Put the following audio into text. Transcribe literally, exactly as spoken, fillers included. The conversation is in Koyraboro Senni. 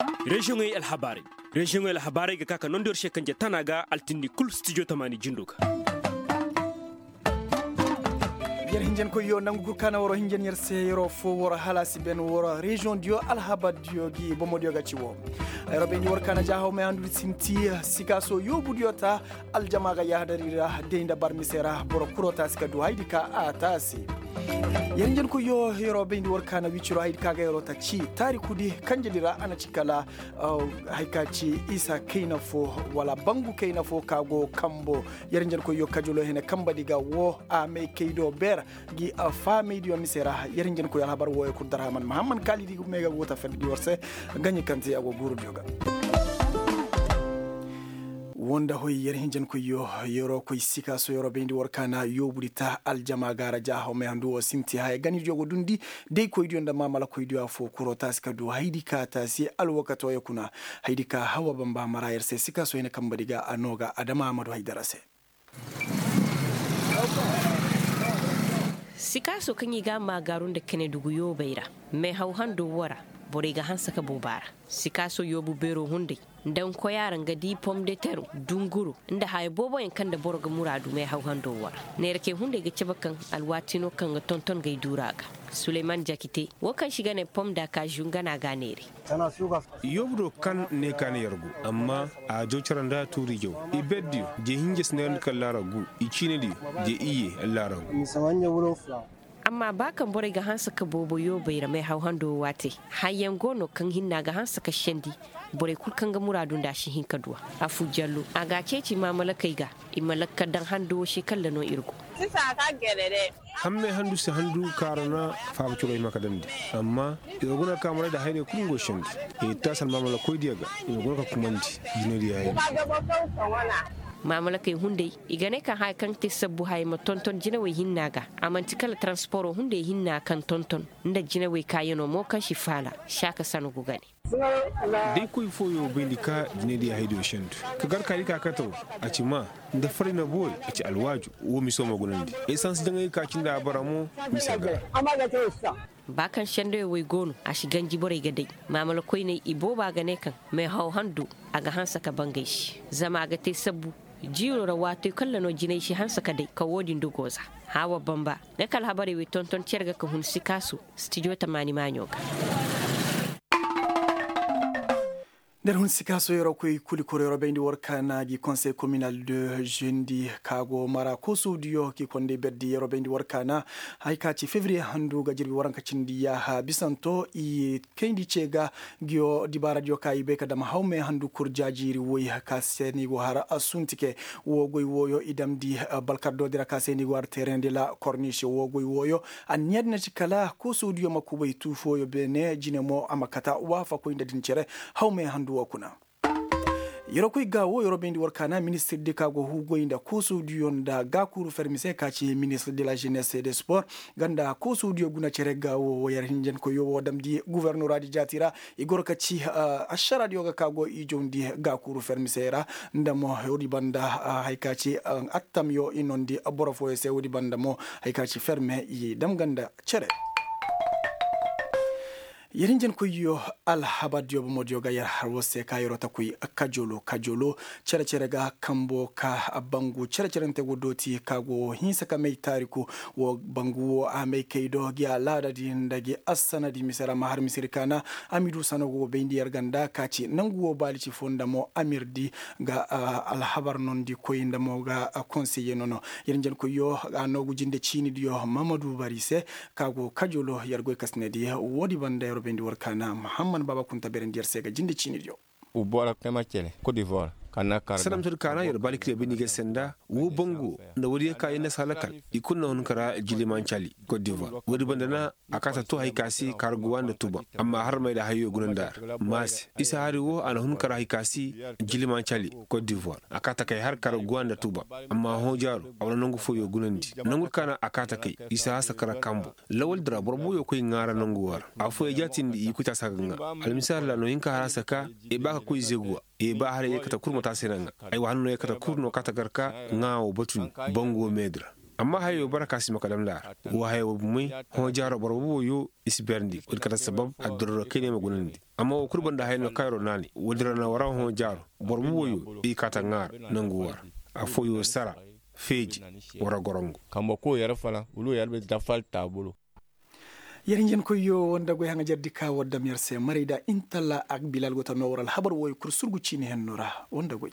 Reziyoŋey alhabaarey. Reziyoŋey alhabaarey ga ka ka nondi yer se kanje tana ga altindi kul stijo tamaani jindo ga. Yer hinjankoyyo nangu kul ka na waro hinjan yer se yeroo foo waro hala a si ben waro reziyoŋ diyo alhabar diyo gi bomo diyo ga ci woo. Yeroo bayndi war ka na jaahaw may handu sinti sikaaso yoobu diyo ta. Aljama ga yaadari ra day nda bar mise ra boro kuro taasi ka du haydi ka a taasi. Yer hinjankoyyo yeroo bayndi war ka na wiciroo haydi ka ga yeroo ta ci taarikudi kanjedi ra a na ci kala. Hay ka ci isa kayna foo wala bangu kayna foo ka go kambo. Yer hinjankoyyo kajoloo hene kambadi ga woo a may kay do beer gi faamaydiyo mise ra. Yer hinjankoyyo alhabar wooyo kul darhaman mahamman kaalidi may ga go ta ferdidi war se. Gaɲi kante a go guurudiyo ga. Woo nda hoy yer hinjankoyyo yeroo koy sikaaso yeroo bayndi war ka na yoobudi ta aljama gaara jaahaw may handu woo sinti haya ganidiyo go dundi. Daykoydiyo nda maamalakoydiyo affoo kuroo taasi ka du haydi ka taasi alwakatooyo kuna. Haydi ka hawa bamba mara yer se sikaaso hine kambadi ga a noo ga adama amadu haydara se. Sikaaso kaŋ i ga a maagaaru nda kene dugu yoobey ra. Meehaw hando woo ra borey ga hanse ka boobo a ra. Sikaaso yoobu beeroo hunday nda nkoyaa ra nga di pomdeteroo dunguroo nda haya booboyaŋ kaŋ nda boro ga muraadu meehaw hando woo ra. Neerakey hunday ga cabe kaŋ alwaati no kaŋ ga tonton gay duuraa ga. Suleyman jakite woo kaŋ se i ga nee pom da kaazu nga no a ga a neeray. Yoobu do kaŋ ne ka ne yer go amma a jaw cere nda tuuri jaw. I berdiyo je hinja si ne ra ni kaŋ laara gu i ciinidiyo je iyye laara gu. Amma ba kaŋ borey ga hanse ka boobo yoobey ra meehaw hando waatey. Hayyaŋ go no kaŋ hinna ga hanse ka sendi. Borey kul kaŋ ga muraadu nda a si hin ka du a. Afu jallo a ga a ceeci maamalakey ga. I ma lakka daŋ hando wo se kalla no ir go. Hammey handu si handu kaara na faaba ciro hima ka dandi. Amma ir guna ka maray da hayrey kul ngo sendi. Ir taasi almaamalakoydiyo ga ir guna ka kumandi. Jinadiyo hayey. Maamalakey hunday i ga ne kaŋ haya kaŋ te sabbu haya ma tonton jinawey hinna ga. A man'ti kala taransporo hunday hinna kaŋ tonton nda jinawey kaayanoo mo kaŋ si faala. Saaka sangu ga ne. Da ay koy fooyoo bayndi ka jinaydiyo haydiyo sendu ka gar ka di ka kataw. A ci maa nda faray na boori a ci alwaaju. Woo miso ma gunandi esans jaŋay ka cindi a bara mo. Mise ga. Ba kaŋ sendayoo wey go no a si ganji borey ga day. Maamala koyney ibooba ga ne kaŋ meehaw handu a ga hanse ka bangay se. Zama a ga te sabbu jiiroo ra waatey kaŋ ra no jinay si hanse ka day ka woo din dogoo za. Haawa bamba nga kala habarey wey tonton cere ga ka hun sikaaso. Stijo tamaani maaɲo ga. Nda ir hun sikaaso yeroo koy kuli koro yeroo bayndi war kaana gi konsey kominal de jendi ka go mara koosodiyo gi konday berdi yeroo bayndi war kaana. Hay ka ci fevriye handu ga jirbi waranka cindi yaaha bisanto i kayndi ce ga. Giyo dibaaradiyo ka i bay ka dam hawmey handu kur jaajiiri woy ka se ni go har suntike. Woo goy wooyo i damndi balkardoodi ra ka se ni go har tereŋ de la korniise woo goy wooyo. Anniya din na ci kala koosodiyo ma kubay tuu fooyo beene jine mo a ma kata waafakoy nda din cere. Hawmey handu woo kuna. Yeroo koy ga woo yeroo bayndi war kaana ministir di ka go huugoy nda koosodiyo nda gaakuuru fermi se ka ci ministir de la jenes e de spor. Nga nda koosodiyo guna cere ga woo yer hinjankoyyo woo damndi gofornoraadi jaati ra. I goro ka ci ašaraadiyo ga ka go i jawndi gaakuuru fermi se ra. Nda mo woodi banda hay ka ci attamyo i noondi boro fooyo se woodi banda mo hay ka ci ferme i dam ga nda cere. Yer hinjankoyyo alhabardiyo bomodiyo ga yer har war se ka yeroo ta koy kajolo kajolo. Cere-cere ga kambo ka bangu cere-cerente go dooti ka go hinsa ka may taariku. Woo bangu woo a may kay do gi alaadadi nda gi assanadi mise ra ma har misiri kaana. A mi du sanago bayndi yer ga nda ka ci nangu woo baali ci foo nda mo amirdi ga alhabar noondi koy nda mo ga konseye nono. Yer hinjankoyyo a noogu jinde ciinidiyo mamadu bari se. Ka go kajolo yer goy kasinedi woodi banda yer bayndi war kaana mahamman baaba kunta beerandi yer se ga jinde ciinidiyo. Salamtodi kaana yer baali kire bayndi ga senda woo bangu nda woodiyo ka i na si halakal. I kul na hun kara jilimancali kot divoire woodi banda na a kaata too hay ka se kaarguwa nda tuba. Amma har may da hayo guna nda har maase isa hari woo a na hun kara hay ka se jilimancali kot divoire a kaata kay har kaarguwa nda tuba. Amma hõ jaaro a wane nangu fooyo gunandi nangu kaana a kaata kay isa hasa kara kambo. Lawal dira boro buuyo koy ŋaara nangu woo ra afooyo jaatindi i koy taasa ga ŋaa. Almisaal ra no hin ka har a saka i ba ka koy zeguwa. I ba har i kata kul ma taasa i na ŋaa. Ay wa hanno i kata kul no kaata gar ka ŋaa woo batu ni bangu woo meedi ra. Amma hayoo bara ka si ma ka dam laara woo hayoo bumey. Hõ jaaroo boro boobo yoo i si beerandi woodi kate sabab addiraroo kay ne ma gunandi. Amma woo kul gonda haya no kaŋ yeroo naani woodi ra na war hõ jaaroo boro boobo yoo i kaata ŋaara nangu war. Affoo yoo sara feeji war gorongo. Kambe koy yer fanaŋ wala yer bay dafal taabuloo. Yer hinjankoy yoo woo nda goy haŋajardi ka war dam yer se maray da intalla ak bilal go ta noo war alhabar wooyo kul surgu ciini hennoo ra woo nda goy.